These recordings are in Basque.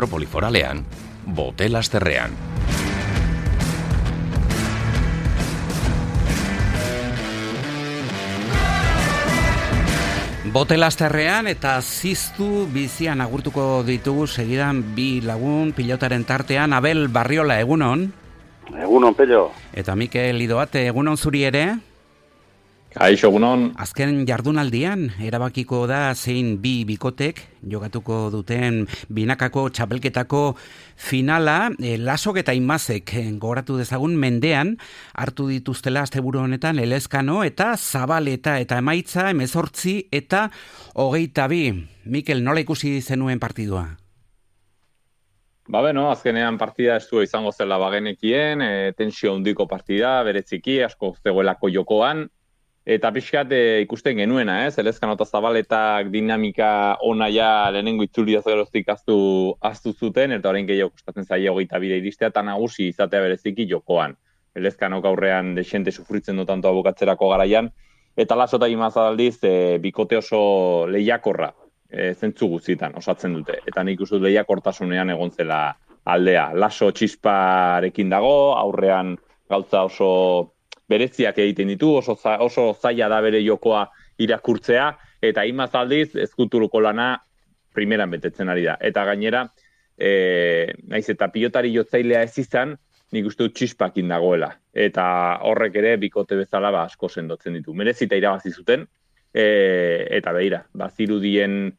metropoli foralean, Botelazterrean. Botelazterrean eta ziztu bizian agurtuko ditugu segidan bi lagun pilotaren tartean. Abel Barriola, egunon? Egunon, Pello. Eta Mikel Idoate, egunon zuri ere? Kaixo, egunon. Azken jardunaldian erabakiko da zein bi bikotek jokatuko duten binakako txapelketako finala. Lasok eta Imazek gogoratu dezagun mendean hartu dituztela asteburu honetan Elezkano eta Zabaleta eta emaitza 18 eta 22. Mikel, nola ikusi zenuen partidua? Azkenean partida estua izango zela bagenekien, tensio handiko partida, bereziki, asko zegoelako jokoan, eta pixkat ikusten genuena, Elezkano eta Zabaletak dinamika ona ja lehenengo itzulia geroztik aztu zuten, eta orain gehiago kostatzen zaia 22 iristea, eta nagusi izatea bereziki jokoan. Elezkano gaurrean desente sufritzen du tanto abokatzerako garaian, eta Laso eta Imaz aldiz bikote oso lehiakorra zentzu guztietan osatzen dute. Eta nik uste lehiakortasunean egon zela aldea. Laso txisparekin dago, aurrean gauza oso bereziak egiten ditu, oso zaila da bere jokoa irakurtzea, eta Imaz aldiz ezkuturuko lana primeran betetzen ari da. Eta gainera, naiz eta pilotari jotzailea ez izan, nik uste dut txispakin dagoela. Eta horrek ere bikote bezala asko sendotzen ditu. Merezita irabazi zuten, eta begira, bazirudien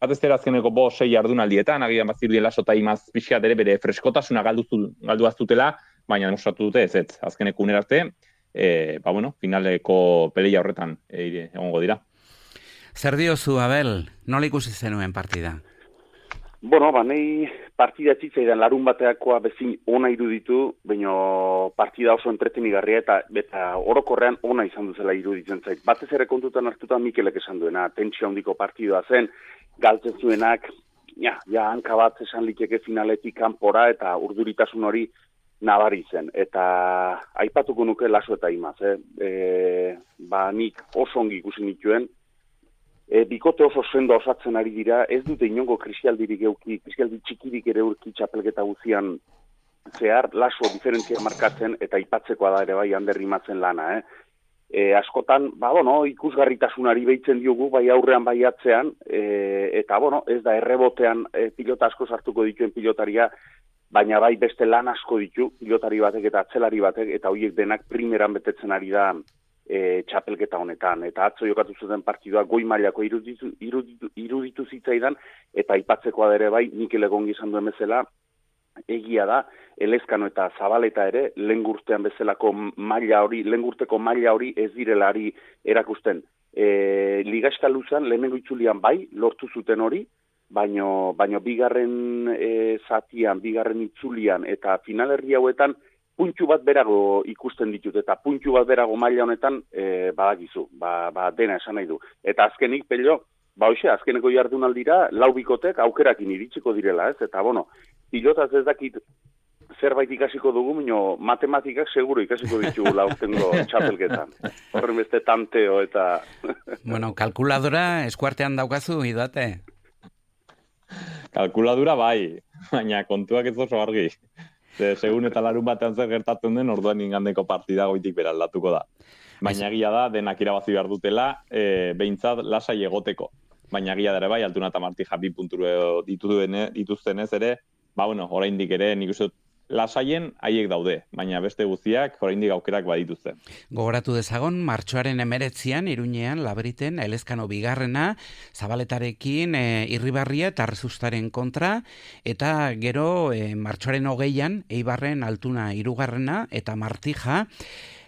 batez azkeneko 6 jardunaldietan, agian bazirudien Laso eta Imaz pixkat ere bere freskotasuna galdu aztutela, baina demostratu dute ez, azkeneko unerarte, finaleko peleia horretan egongo dira. Zer diozu, Abel, nola ikusi zenuen partida? Nahi partida txitzaidan larun bateakoa bezin ona iruditu, baina partida oso entretenigarria eta orokorrean ona izan duzela iruditzen zait. Batez ere kontutan hartuta Mikelek esan duena, tentsio handiko partidua zen, galtzen zuenak, hanka bat esan liteke finaletik kanpora eta urduritasun hori nabari zen. Eta aipatuko nuke Laso eta Imaz, nik oso ongi ikusi nituen, bikote oso sendo osatzen ari dira, ez dute inongo krisialdirik euki, krisialdi txikirik ere urki txapelketa guzian zehar, Laso diferentzia markatzen eta ipatzekoa da ere bai Ander Imazen lana. Askotan, ikusgarritasunari behitzen diogu, bai aurrean bai atzean, eta ez da errebotean pilota asko sartuko dituen pilotaria, baina bai beste lan asko ditu, pilotari batek eta atzelari batek, eta horiek denak primeran betetzen ari da txapelketa honetan. Eta atzo jokatu zuten partidua goi mailako iruditu zitzaidan, eta aipatzekoa ere bai, Mikel egongi izan duen bezala, egia da, Elezkano eta Zabaleta ere, lehengurtean bezalako maila hori, lehengurteko maila hori ez direlari erakusten. Liga eskaluzan, lehenengo itzulian bai, lortu zuten hori, baino bigarren zatian, bigarren itzulian, eta finalerri hauetan, puntxu bat berago ikusten ditut, eta puntxu bat berago maila honetan badakizu, dena esan nahi du. Eta azkenik, Pello, azkeneko jardunaldira, 4 bikotek aukerakin iritsiko direla, ez? Eta, pilotaz ez dakit zerbait ikasiko dugu, mino matematikak seguro ikasiko ditugu laurtengo txapelketan. Horren beste tanteo eta... Kalkuladora eskuartean daukazu, Idoate? Kalkuladura bai, baina kontuak ez oso argi. Segun eta larun batean zer gertatzen den, orduan ingandeko partida goitik beraldatuko da. Baina egia da, denak irabazi behar dutela, behintzat lasai egoteko. Baina egia dara bai, Altuna eta Martija 2 punturu dituztenez ere, oraindik ere nik uste lasaien haiek daude, baina beste guztiak oraindik aukerak badituzte. Gogoratu dezagon, martxoaren 19an, Iruñean, Labriten, Elezkano bigarrena, Zabaletarekin Irribarria eta Rezustaren kontra, eta gero martxoaren 20an, Eibarren Altuna hirugarrena eta Martija,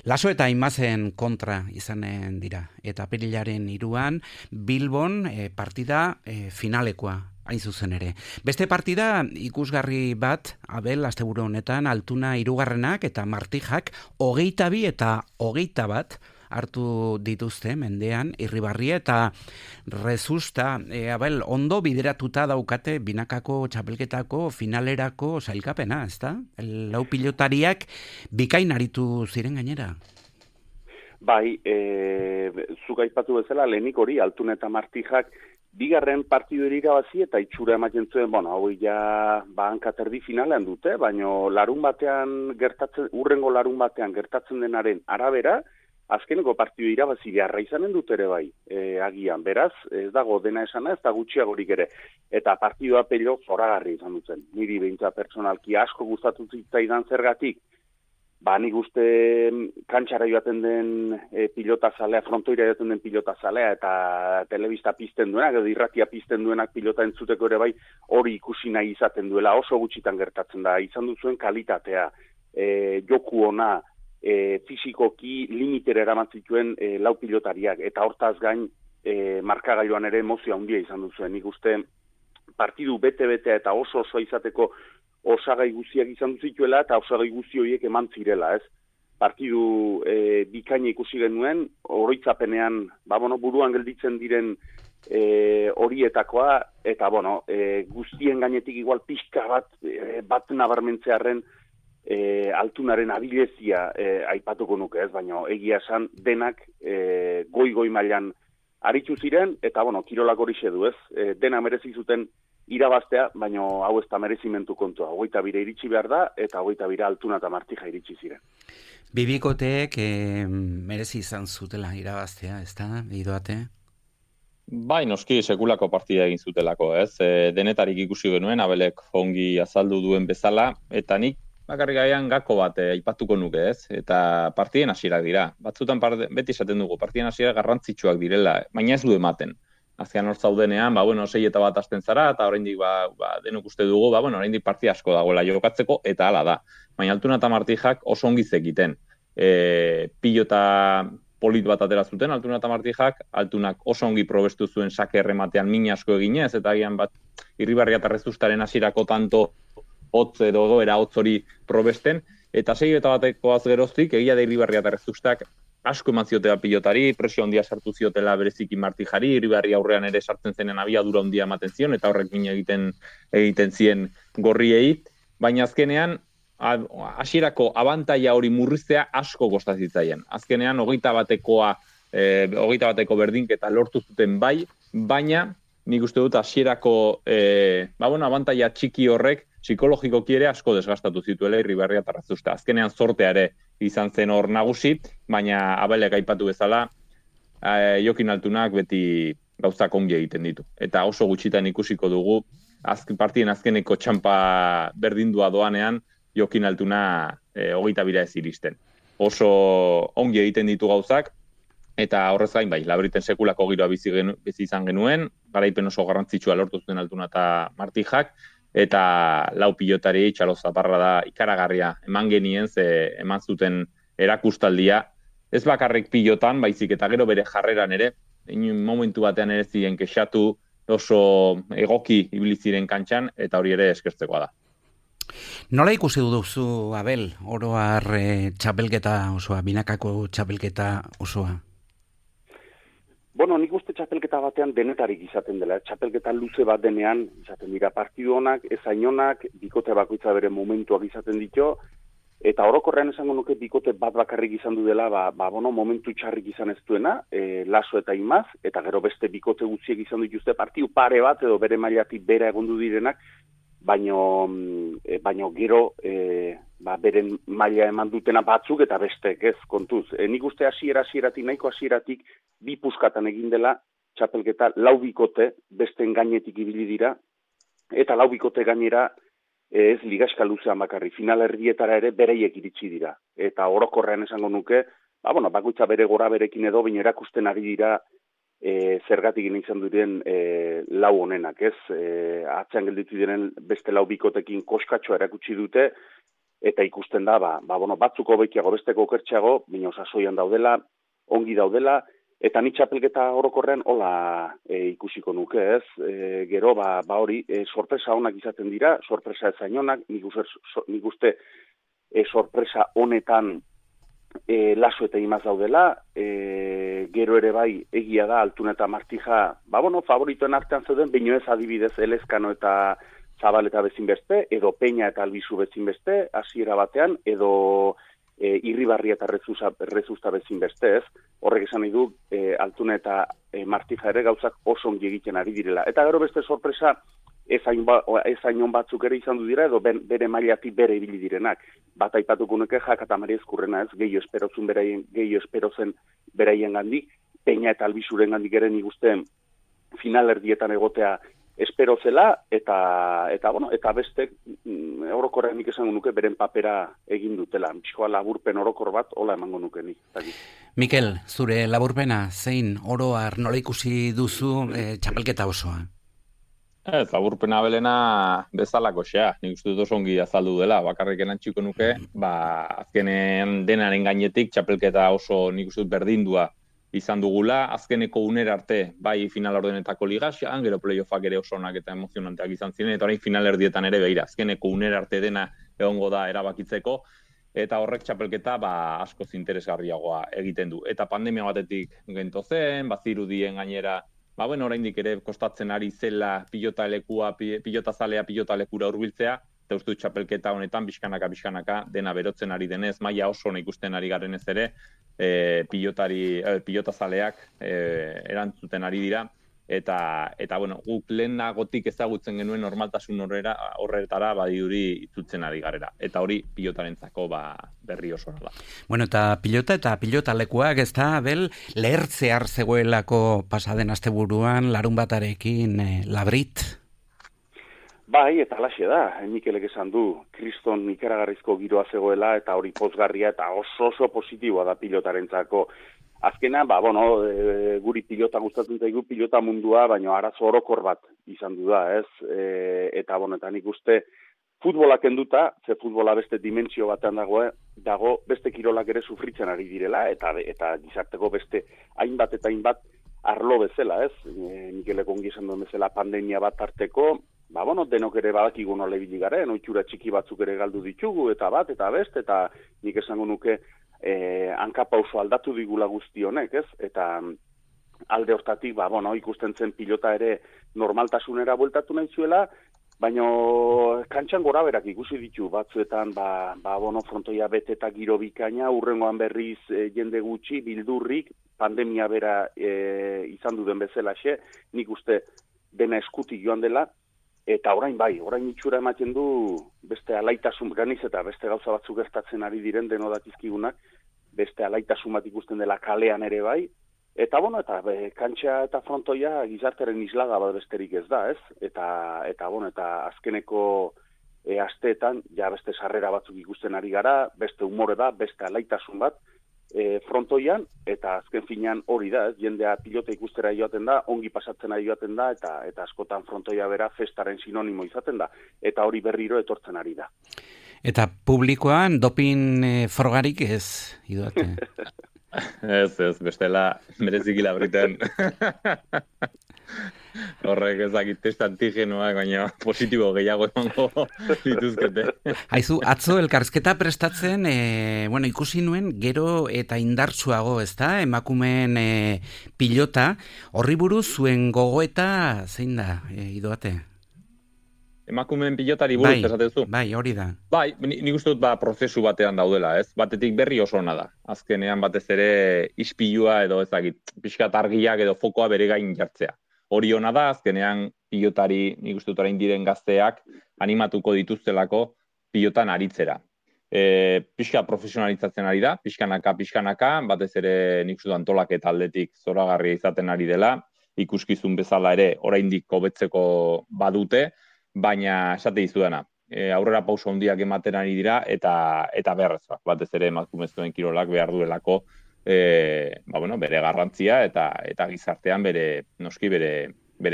Laso eta Imazen kontra izanen dira. Eta apirilaren 3an, Bilbon partida finalekoa. Hain zuzen ere. Beste partida ikusgarri bat, Abel, asteburu honetan, Altuna hirugarrenak eta Martijak 22 eta 21 hartu dituzte mendean, Irribarria eta Rezusta, Abel, ondo bideratuta daukate binakako txapelketako finalerako sailkapena, ezta? Lau pilotariak bikain aritu ziren gainera. Bai, zuk aipatu bezala, lehenik hori, Altuna eta Martijak bigarren partidu irabazi eta itxura ematen zuen, hau ja hankaterdi finalean dute, baina urrengo larun batean gertatzen denaren arabera, azkeneko partidu irabazi beharra izanen dut ere bai, agian. Beraz, ez dago dena esana, ez da gutxiagorik ere. Eta partidua pello zoragarri izan dutzen. Niri behintzat pertsonalki asko gustatu zitzaidan zergatik, nik uste kantxara joaten den pilotazalea, frontoira joaten den pilotazalea eta telebista pizten duenak, edo irratia pizten duenak pilota entzuteko ere bai, hori ikusi nahi izaten duela, oso gutxitan gertatzen da, izan duzuen kalitatea, joku ona, fizikoki limitera eramatzituen lau pilotariak, eta hortaz gain markagailuan ere emozio handia izan duzuen. Nik uste partidu bete-betea eta oso izateko osagai guztiak izan zituela eta osagai guzti horiek eman zirela, ez? Partidu bikaina ikusi genuen, oroitzapenean, buruan gelditzen diren horietakoa, eta guztien gainetik igual pixka bat nabarmentzearen altunaren abilezia aipatuko nuke, ez? Baina egia esan denak goi mailan aritu ziren, eta kirolak hori du, ez? Dena merezi zuten irabaztea, baina hau ez da merezimentu kontua. 22 iritsi behar da, eta 22 Altuna eta Martija iritsi ziren. Bibikoteek merezi izan zutela irabaztea, ez da, Idoate? Bai, noski sekulako partida egin zutelako, ez? Denetarik ikusi genuen, Abelek ongi azaldu duen bezala, eta nik bakarrik gaian gako bat aipatuko nuke, ez? Eta partiden hasierak dira. Batzutan beti esaten dugu, partiden hasierak garrantzitsuak direla, baina ez du ematen. Azkean hor zaudenean, 6 eta 1 hasten zara, eta oraindik denok uste dugu, oraindik partida asko dagoela jokatzeko, eta hala da. Baina Altuna eta Martijak oso ongi zekiten. Pilota polit bat atera zuten, Altuna eta Martijak, Altunak oso ongi probestu zuen sake errematean min asko eginez, eta agian Irribarria eta Rezustaren hasierako tanto hotz edo egoera hotz hori probesten, eta 6 eta 1 geroztik, egia da Irribarria eta Rezustak asko eman ziotela pilotari, presio handia sartu ziotela bereziki Martijari, Irribarri aurrean ere sartzen zenen abiadura handia ematen zion, eta horrek min egiten zien gorriei, baina azkenean, hasierako abantaila hori murriztea asko kostazitzaien. Azkenean, 21 bateko berdinketa lortu zuten bai, baina nik uste dut hasierako abantaila txiki horrek psikologikoki ere asko desgastatu zituela Irribarria eta Rezusta. Azkenean zortea ere izan zen hor nagusi, baina Abelek aipatu bezala, Jokin Altunak beti gauzak ongi egiten ditu. Eta oso gutxitan ikusiko dugu, partien azkeneko txampa berdindua doanean, Jokin Altuna 22 ez iristen. Oso ongi egiten ditu gauzak, eta horrez gain bai, Labriten sekulako giroa bizi izan genuen, garaipen oso garrantzitsua lortu zuten Altuna eta Martijak, eta lau pilotari Txalo Zaparra da ikaragarria eman genien, eman zuten erakustaldia, ez bakarrik pilotan, baizik eta gero bere jarreran ere, momentu batean ere ziren kexatu, oso egoki ibili ziren kantxan, eta hori ere eskertzekoa da. Nola ikusi duzu, Abel, oro har txapelketa osoa, binakako txapelketa osoa? Nik uste txapelketa batean denetarik izaten dela. Txapelketa luze bat denean, izaten dira partidu honak, ezain honak, bikote bakoitza bere momentuak izaten ditu, eta orokorrean esango nuke bikote bat bakarrik izan du dela, momentu txarrik izan ez duena, Laso eta Imaz, eta gero beste bikote guztiek izan dituzte partidu pare bat, edo bere mailatik bera egondu direnak, baino gero beren maila eman dutena batzuk eta bestek, ez, kontuz. Nik uste nahiko hasieratik bi puskatan egin dela txapelketa lau bikote besten gainetik ibili dira, eta lau bikote gainera ez ligaxka luzean bakarri, final erdietara ere bereiek iritsi dira. Eta orokorrean esango nuke, bakoitza bere gora berekin edo, baina erakusten ari dira zergatik izan diren lau honenak, ez? Atzean gelditu diren beste lau bikotekin koskatxoa erakutsi dute, eta ikusten da, batzuko bekiago, besteko okertxeago, baina sasoian daudela, ongi daudela, eta ni txapelketa orokorrean hola ikusiko nuke, ez? Gero, hori, sorpresa onak izaten dira, sorpresa ezain onak, nik uste sorpresa honetan Laso eta Imaz daudela, gero ere bai egia da Altuna eta Martija, favoritoen artean zeuden, baino ez adibidez Elezkano eta Zabaleta bezin beste, edo Peña eta Albizu bezin beste, hasiera batean, edo Irribarria eta Rezusta bezin beste ez, horrek esan nahi du Altuna eta Martija ere gauzak oso ongi egiten ari direla. Eta gero beste sorpresa, ez hain batzuk ere izan du dira, edo bere mailatik bere ibili direnak. Bat aipatuko nuke Jak eta Mari Ezkurrena ez, gehiago espero zen beraien gandik, Peña eta Albizuren gandik ere nik uste finalerdietan egotea espero zela, eta beste orokorrean nik esango nuke beren papera egin dutela. Pixkoa laburpen orokor bat, hola emango nuke nik. Mikel, zure laburpena, zein oroar nola ikusi duzu txapelketa osoa? Laburpena belena bezalako xea, nik uste dut oso ongi azaldu dela, bakarrik enantxiko nuke, azkenen denaren gainetik txapelketa oso nik uste dut berdindua izan dugula, azkeneko unera arte, bai final ordenetako ligaxan, gero playoffak ere oso onak eta emozionanteak izan ziren, eta orain final erdietan ere beira, azkeneko unera arte dena egongo da erabakitzeko, eta horrek txapelketa askoz interesgarriagoa egiten du. Eta pandemia batetik gento zen, bazirudien gainera, oraindik ere kostatzen ari zela pilota zalea pilota lekura hurbiltzea, eta uste dut txapelketa honetan pixkanaka dena berotzen ari denez, maila oso ona ikusten ari garenez ere, pilota zaleak erantzuten ari dira, eta guk lehenagotik ezagutzen genuen normaltasun horretara badiduri itzutzen ari garera. Eta hori pilotarentzako berri oso da. Eta pilota lekuak ez da, lehertzear zegoelako pasaden asteburuan larunbatarekin Labrit? Bai, eta alaxe da, Mikelek esan du, kriston ikaragarrizko giroa zegoela, eta hori pozgarria, eta oso positiboa da pilotarentzako. Azkena, guri pilota gustatzen zaigu pilota mundua, baina arazo orokor bat izan du da, ez? Eta nik uste futbolak enduta, ze futbola beste dimentsio batean dago beste kirolak ere sufritzen ari direla, eta gizarteko beste hainbat arlo bezala, ez? Mikelek ongi esan duen bezala pandemia bat tarteko, denok ere badakigu nola ibili garen, ohitura txiki batzuk ere galdu ditugu, eta beste, eta nik esango nuke hankapauso aldatu digula guzti honek, ez? Eta alde hortatik, ikusten zen pilota ere normaltasunera bueltatu nahi zuela, baina kantxan gora berak ikusi ditu batzuetan, frontoia bete eta giro bikaina, urrengoan berriz jende gutxi, bildurrik, pandemia bera izan duden bezalaxe, nik uste dena eskutik joan dela, eta orain itxura ematen du beste alaitasun ganiz eta beste gauza batzuk gertatzen ari diren denodakizkigunak, beste alaitasun bat ikusten dela kalean ere bai, eta kantxa eta frontoia gizarteren islaga bat besterik ez da, ez? Eta azkeneko asteetan, beste sarrera batzuk ikusten ari gara, beste umore da, beste alaitasun bat, frontoian, eta azken finean hori da, jendea pilota ikustera joaten da, ongi pasatzen ari joaten da, eta askotan frontoia bera festaren sinonimo izaten da, eta hori berriro etortzen ari da. Eta publikoan dopin frogarik ez, Idoate? Ez, bestela mereziki Labriten. Horrek ezakit test antigenoak, baina positibo gehiago emango dituzkete. Haizu, atzo elkarrizketa prestatzen, ikusi nuen gero eta indartsuago, ezta? Emakumeen pilota, horri buruz zuen gogoeta zein da, Idoate? Emakumeen pilotari buruz esatezu? Bai, hori da. Bai, nik uste dut prozesu batean daudela, ez? Batetik berri oso ona da. Azkenean batez ere ispilua edo ezakit, pixkat argiak edo fokoa bere gain jartzea. Hori ona da, azkenean pilotari, nik uste dut orain diren gazteak, animatuko dituztelako pilotan aritzera. Pixka profesionalizatzen ari da, pixkanaka, batez ere nik uste dut antolaketa aldetik zoragarria izaten ari dela, ikuskizun bezala ere oraindik hobetzeko badute, baina esate dizudana, aurrera pauso handiak ematen ari dira eta beharrezkoak, batez ere emakumezkoen kirolak behar duelako bere garrantzia eta gizartean bere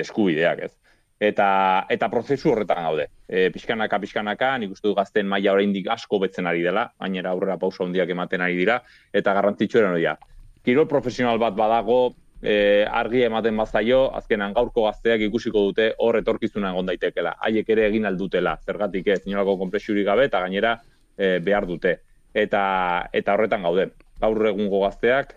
eskubideak, ez. Eta prozesu horretan gaude. Pixkanaka, nik uste du gazten maila oraindik asko betzen ari dela, gainera aurrera pauso handiak ematen ari dira, eta garrantzitsuena hori da. Kirol profesional bat badago, argi ematen bazaio, azkenan gaurko gazteak ikusiko dute hor etorkizuna egon daitekela. Haiek ere egin aldutela, zergatik ez, inolako konplexurik gabe, eta gainera behar dute. Eta horretan gaude. Gaur egungo gazteak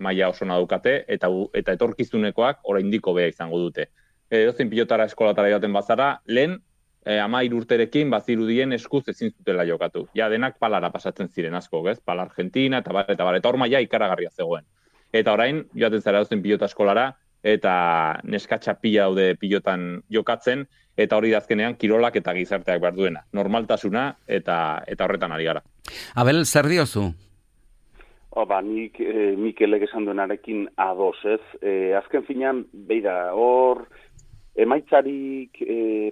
maila oso daukate, eta etorkizunekoak oraindik hobea izango dute. Edozein pilotara eskolatara joaten bazara, lehen 13 urterekin bazirudien eskuz ezin zutela jokatu. Ja, denak palara pasatzen ziren asko, ez? Pala Argentina, eta hor maila ikaragarria zegoen. Eta orain, joaten zara dozen pilota eskolara, eta neskatxa pila daude pilotan jokatzen, eta hori dazkenean kirolak eta gizarteak behar duena. Normaltasuna eta horretan ari gara. Abel, zer diozu? Nik Mikelek esan duenarekin ados, ez? Azken finean, beira, hor emaitzarik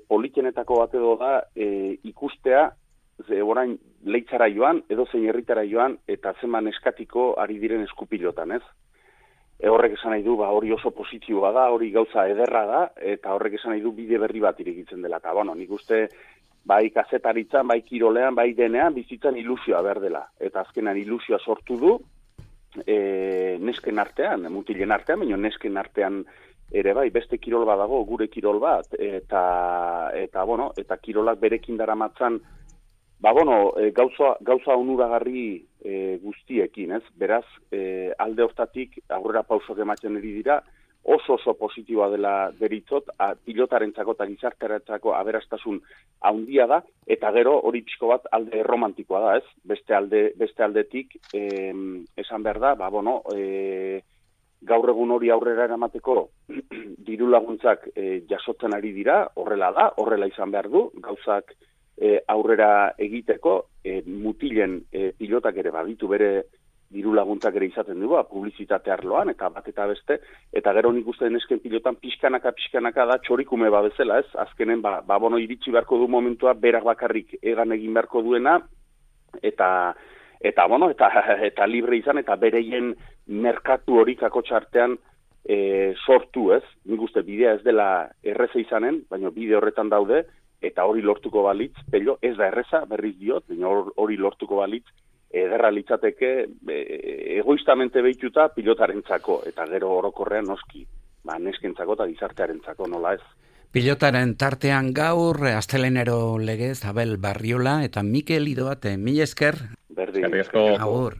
politenetako bat edo da ikustea, orain leitzara joan, edo zein herritara joan, eta zeman eskatiko ari diren eskupilotan, ez? Horrek esan nahi du, hori oso positiboa da, hori gauza ederra da, eta horrek esan nahi du bide berri bat irekitzen dela. Eta, nik uste, bai kazetaritzan, bai kirolean, bai denean, bizitzan ilusioa behar dela. Eta azkenan ilusioa sortu du, nesken artean, mutilen artean, baina nesken artean ere bai, beste kirol bat dago, gure kirol bat, eta kirolak berekin daramatzan, gauza onuragarri guztiekin, ez? Beraz, alde hortatik aurrera pausok ematen eri dira, oso positiboa dela deritzot, pilotarentzako eta gizartearentzako aberastasun handia da, eta gero hori pixko bat alde romantikoa da, ez? Beste aldetik, esan behar da, gaur egun hori aurrera eramateko diru laguntzak jasotzen ari dira, horrela izan behar du, gauzak aurrera egiteko, mutilen pilotak ere baditu bere diru laguntzak ere izaten du, publizitate arloan, eta bat eta beste, eta gero nik uste nesken pilotan pixkanaka da txorikume bezala, ez? Azkenen, iritsi beharko du momentua, berak bakarrik egan egin beharko duena, eta libre izan, eta bereien merkatu hori kakotxartean sortu, ez? Nik uste bidea ez dela erreza izanen, baina bide horretan daude, eta hori lortuko balitz, pello, ez da erreza, berriz diot, baina hori lortuko balitz, ederra litzateke egoistamente behituta pilotarentzako, eta gero orokorrean noski, neskentzako eta gizartearentzako, nola ez. Pilotaren tartean gaur, astelenero legez, Abel Barriola eta Mikel Idoate, mila esker. Berdin. Agur.